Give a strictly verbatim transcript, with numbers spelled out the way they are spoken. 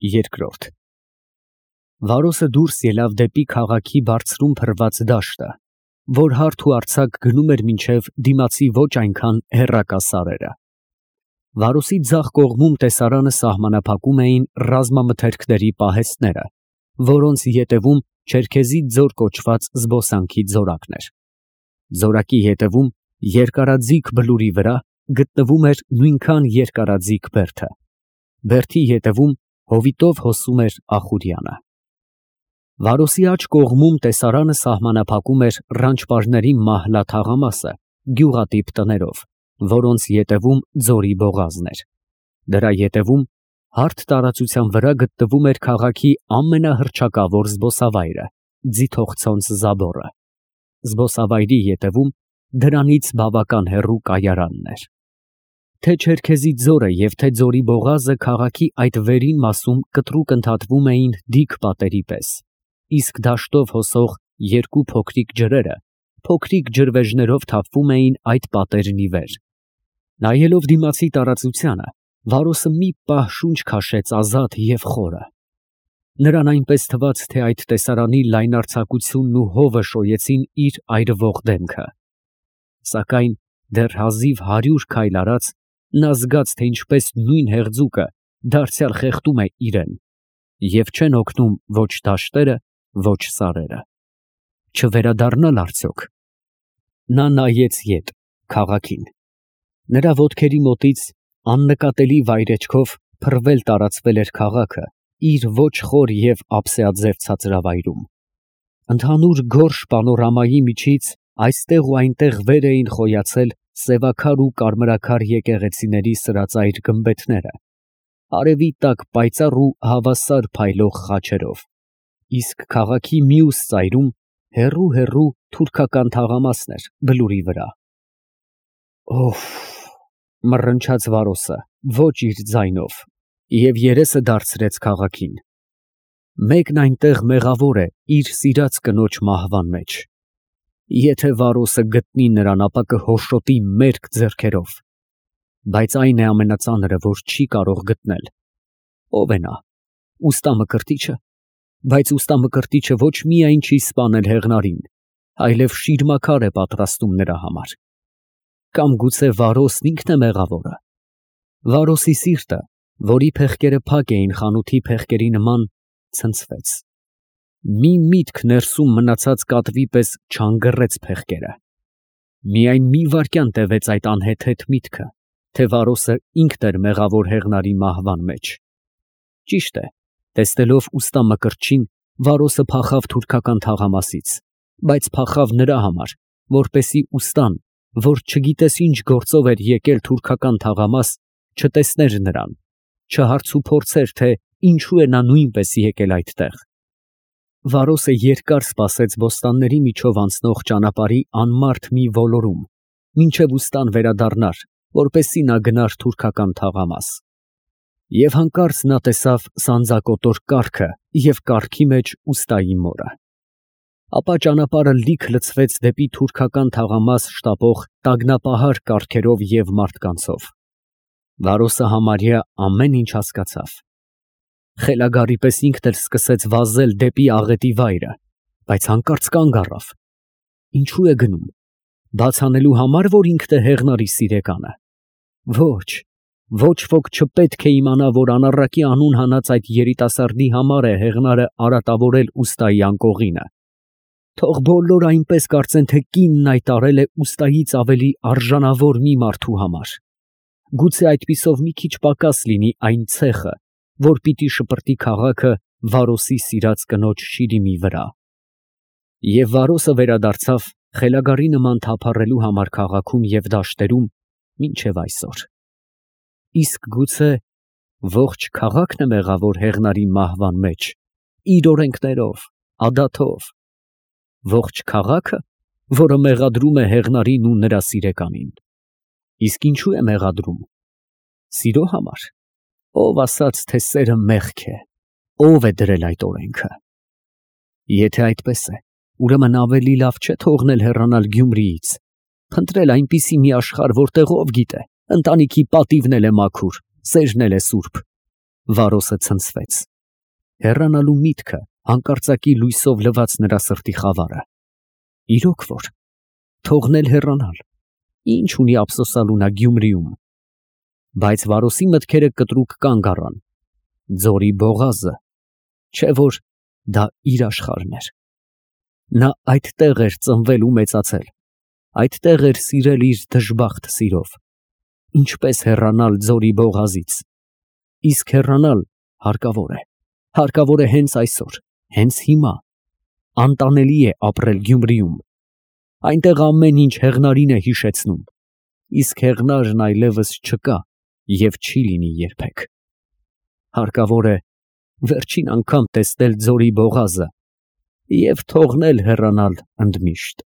Երկրորդ Վարոսը դուրս ելավ դեպի քաղաքի բարձրում փռված դաշտը, որ հարթ ու արձակ գնում էր մինչև դիմացի ոչ այնքան հեռակա սարերը։ Վարոսի ձախ կողմում տեսարանը սահմանափակում էին ռազմամթերքների պահեստները, որոնց ետևում Չերքեզի ձոր կոչված զբոսանքի ձորակն էր։ Ձորակի ետևում երկարաձիգ բլուրի վրա գտնվում էր նույնքան երկարաձիգ բերդը։ Բերդի ետևում հովիտով հոսում էր Ախուրյանը։ Վարոսի աջ կողմում տեսարանը սահմանափակում էր ռանչպարների մահլա թաղամասը գյուղատիպ տներով, որոնց ետևում ձորի բողազն էր։ Դրա ետևում հարթ տարածության վրա գտնվում էր քաղաքի ամենահռչակավոր զբոսավայրը՝ Ձիթողցոնց Զաբորը։ Զբոսավայրի ետևում դրանից բավական հեռու կայարանն էր։ Թե Չերքեզի ձորը և թե ձորի բողազը քաղաքի այդ վերին մասում կտրուկ ընդհատվում էին դիք պատերի պես, իսկ դաշտով հոսող երկու փոքրիկ ջրերը փոքրիկ ջրվեժներով թափվում էին այդ պատերն ի վեր։ Նայելով դիմացի տարածությանը, Վարոսը մի պահ շունչ քաշեց ազատ և խորը։ Նրան այնպես թվաց, թե այդ տեսարանի լայնարձակությունն ու հովը շոյեցին իր այրվող դեմքը։ Սակայն դեռ հազիվ հարյուր քայլ արած, նա զգաց, թե ինչպես նույն հեղձուկը դարձյալ խեղդում է իրեն, և չեն օգնում ոչ դաշտերը, ոչ սարերը։ Չվերադառնալ արդյոք։ Նա նայեց ետ, քաղաքին։ Նրա ոտքերի մոտից աննկատելի վայրէջքով փռվել տարածվել էր քաղաքը իր ոչ խոր և ափսեաձև ցածրավայրում։ Ընդհանուր գորշ պանորամայի միջից այստեղ ու այնտեղ վեր էին խոյացել սևաքար ու կարմրաքար եկեղեցիների սրածայր գմբեթները, արևի տակ պայծառ ու հավասար փայլող խաչերով, իսկ քաղաքի մյուս ծայրում հեռու֊հեռու թուրքական թաղամասն էր բլուրի վրա։ Օֆ, մռնչաց Վարոսը, ոչ իր ձայնով, և երեսը դարձրեց քաղաքին։ Մեկն այնտեղ մեղավոր է իր սիրած կնոջ մահվան մեջ։ Եթե Վարոսը գտնի նրան, ապա կհոշոտի մերկ ձեռքերով։ Բայց այն է ամենածանրը, որ չի կարող գտնել։ Ո՞վ է նա։ Ուստա Մկրտիչը։ Բայց ուստա Մկրտիչը ոչ միայն չի սպանել հեղնարին, այլև շիրմաքար է պատրաստում նրա համար։ Կամ գուցե Վարոսն ինքն է մեղավորը։ Վարոսի սիրտը, որի փեղկերը փակ էին խանութի փեղկերի նման, ցնցվեց։ Մի միտք ներսում մնացած կատվի պես չանգռեց փեղկերը։ Միայն մի վայրկյան տևեց այդ անհեթեթ միտքը, թե Վարոսը ինքն էր մեղավոր հեղնարի մահվան մեջ։ Ճիշտ է, տեսնելով ուստա Մկրտչին, Վարոսը փախավ թուրքական թաղամասից, բայց փախավ նրա համար, որպեսզի ուստան, որ չգիտես ինչ գործով էր եկել թուրքական թաղամաս, չտեսներ նրան, չհարցուփորձեր, թե ինչու է նա նույնպես եկել այդտեղ։ Վարոսը երկար սպասեց բոստանների միջով անցնող ճանապարհի անմարդ մի ոլորում, մինչև ուստան վերադառնար, որպեսզի նա գնար թուրքական թաղամաս։ Եվ հանկարծ նա տեսավ սանձակոտոր կառքը և կառքի մեջ ուստայի մորը։ Ապա ճանապարհը լիք լցվեց դեպի թուրքական թաղամաս շտապող տագնապահար կառքերով և մարդկանցով։ Վարոսը համարյա ամեն ինչ հասկացավ։ Խելագարի պես ինքն էլ սկսեց վազել դեպի աղետի վայրը, բայց հանկարծ կանգ առավ։ Ինչու է գնում։ Բաց անելու համար, որ ինքն է հեղնարի սիրեկանը։ Ոչ, ոչ ոք չպետք է իմանա, որ անառակի անուն հանած այդ երիտասարդի համար է հեղնարը արատավորել ուստայի անկողինը։ Թող բոլորը այնպես կարծեն, թե կինն այդ արել է ուստայից ավելի արժանավոր մի մարդու համար։ Գուցե այդպիսով մի քիչ պակաս լինի այն ցեխը, որ պիտի շպրտի քաղաքը Վարոսի սիրած կնոջ շիրիմի վրա։ Եվ Վարոսը վերադարձավ խելագարի նման թափառելու համար քաղաքում և դաշտերում մինչև այսօր։ Իսկ գուցե ողջ քաղաքն է մեղավոր հեղնարի մահվան մեջ, իր օրենքներով, ադաթով։ Ողջ քաղաքը, որը մեղադրում է հեղնարին ու նրա սիրեկանին։ Իսկ ինչու է մեղադրում։ Սիրո համար։ Ով ասաց, թե սերը մեղք է, ով է դրել այդ օրենքը։ Եթե այդպես է, ուրեմն ավելի լավ չէ թողնել հեռանալ Գյումրիից, փնտրել այնպիսի մի աշխարհ, որտեղ ով գիտե, ընտանիքի պատիվն էլ է մաքուր, սերն էլ է սուրբ, Վարոսը ցնցվեց։ Հեռանալու միտքը հանկարծակի լույսով լվաց նրա սրտի խավարը։ Իրոք որ, թողնել հեռանալ, ինչ ունի ափսոսալու նա Գյումրիում։ Բայց Վարոսի մտքերը կտրուկ կանգ առան։ Ձորի բողազը, չէ որ դա իր աշխարհն էր։ Նա այդտեղ էր ծնվել ու մեծացել, այդտեղ էր սիրել իր դժբախտ սիրով։ Ինչպես հեռանալ ձորի բողազից։ Իսկ հեռանալ հարկավոր է, հարկավոր է հենց այսօր, հենց հիմա։ Անտանելի է ապրել Գյումրիում։ Այնտեղ ամեն ինչ հեղնարին է հիշեցնում, իսկ հեղնարն այլևս չկա և չի լինի երբեք։ Հարկավոր է վերջին անգամ տեսնել ձորի բողազը և թողնել հեռանալ ընդմիշտ։